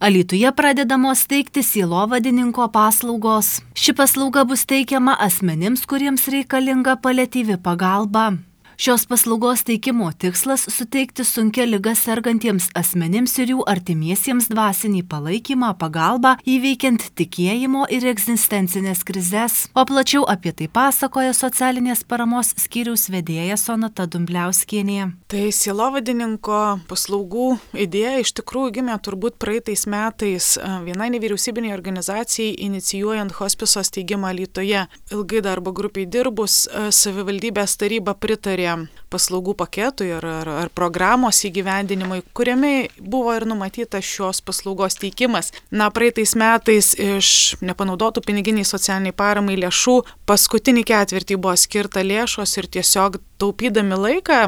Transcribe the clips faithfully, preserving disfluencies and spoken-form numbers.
Alytuje pradedamos teikti sielovadininko paslaugos. Ši paslauga bus teikiama asmenims, kuriems reikalinga paliatyvi pagalba. Šios paslaugos teikimo tikslas – suteikti sunkia liga sergantiems asmenims ir jų artimiesiems dvasinį palaikymą, pagalbą, įveikiant tikėjimo ir egzistencinės krizes. O plačiau apie tai pasakoja socialinės paramos skyriaus vedėja Sonata Dumbliauskienė. Tai sielovadininko paslaugų idėja iš tikrųjų gimė turbūt praeitais metais vienai nevyriausybiniai organizacijai inicijuojant hospiso steigimą Alytuje. Ilgai darbo grupiai dirbus, savivaldybės taryba pritarė paslaugų paketui ar, ar, ar programos įgyvendinimui, kuriame buvo ir numatyta šios paslaugos teikimas. Na, praeitais metais iš nepanaudotų piniginiai socialiniai paramai lėšų paskutinį ketvirtį buvo skirta lėšos ir tiesiog taupydami laiką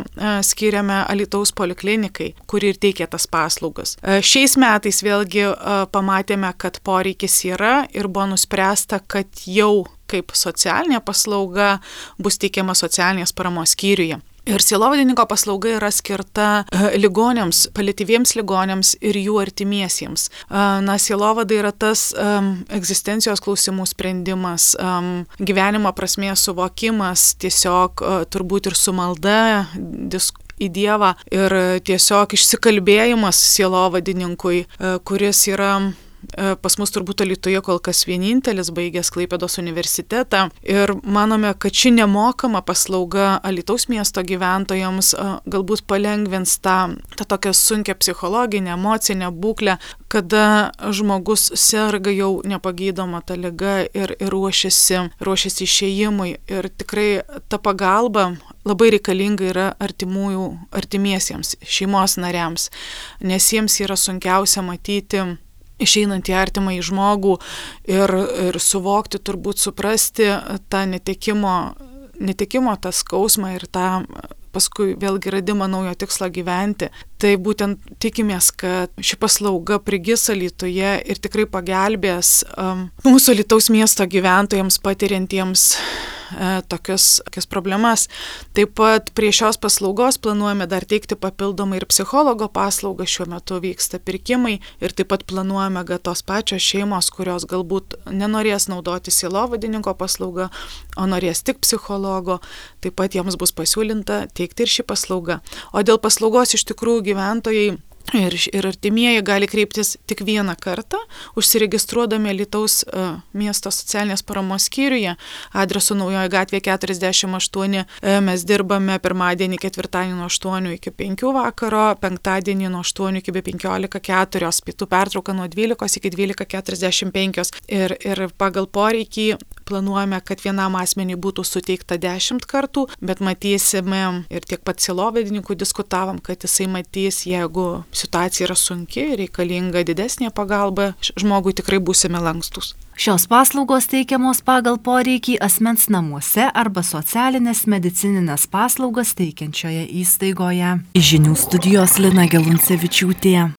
skiriame Alytaus poliklinikai, kuri ir teikia tas paslaugas. Šiais metais vėlgi pamatėme, kad poreikis yra ir buvo nuspręsta, kad jau kaip socialinė paslauga bus teikiama socialinės paramos skyriuje. Ir sielovadininko paslauga yra skirta ligoniams, paliatyviems ligoniams ir jų artimiesiems. Na, sielovada yra tas um, egzistencijos klausimų sprendimas, um, gyvenimo prasmės suvokimas, tiesiog uh, turbūt ir su malda, diskusija į Dievą ir tiesiog išsikalbėjimas sielovadininkui, uh, kuris yra pas mus turbūt Alytuje kol kas vienintelis, baigęs Klaipėdos universitetą. Ir manome, kad ši nemokama paslauga Alytaus miesto gyventojams galbūt palengvins tą, tą tokią sunkią psichologinę, emocinę būklę, kada žmogus serga jau nepagydoma ta liga ir, ir ruošiasi, ruošiasi išėjimui. Ir tikrai ta pagalba labai reikalinga yra artimųjų, artimiesiems, šeimos nariams, nes jiems yra sunkiausia matyti išeinant į artimą į žmogų ir, ir suvokti, turbūt suprasti tą netekimo, netekimo tą skausmą ir tą paskui vėlgi radimą naujo tikslo gyventi. Tai būtent tikimės, kad ši paslauga prigis Alytuje ir tikrai pagelbės um, mūsų Alytaus miesto gyventojams patiriantiems e, tokias, tokias problemas. Taip pat prie šios paslaugos planuojame dar teikti papildomai ir psichologo paslaugą. Šiuo metu vyksta pirkimai ir taip pat planuojame, kad tos pačios šeimos, kurios galbūt nenorės naudoti sielovadininko paslaugą, o norės tik psichologo, taip pat jiems bus pasiūlinta teikti ir šį paslaugą. O dėl paslaugos iš tikrųjų gyventojai ir, ir artimieji gali kreiptis tik vieną kartą, užsiregistruodami Alytaus uh, miesto socialinės paramos skyriuje, adresu Naujoji gatvė keturiasdešimt aštuoni. Uh, mes dirbame pirmadienį, ketvirtadienį nuo aštuonių iki penkių vakaro, penktadienį nuo aštuonių iki penkiolika keturios, pietų pertrauka nuo dvylikos iki dvylika keturiasdešimt penkios. Ir, ir pagal poreikį planuojame, kad vienam asmeniui būtų suteikta dešimt kartų, bet matysime ir tiek pat sielovadininkų diskutavom, kad jisai matys, jeigu situacija yra sunki, reikalinga didesnė pagalba, žmogui tikrai būsime lankstus. Šios paslaugos teikiamos pagal poreikį asmens namuose arba socialinės medicininės paslaugas teikiančioje įstaigoje. Iš žinių studijos Lina Geluncevičiūtė.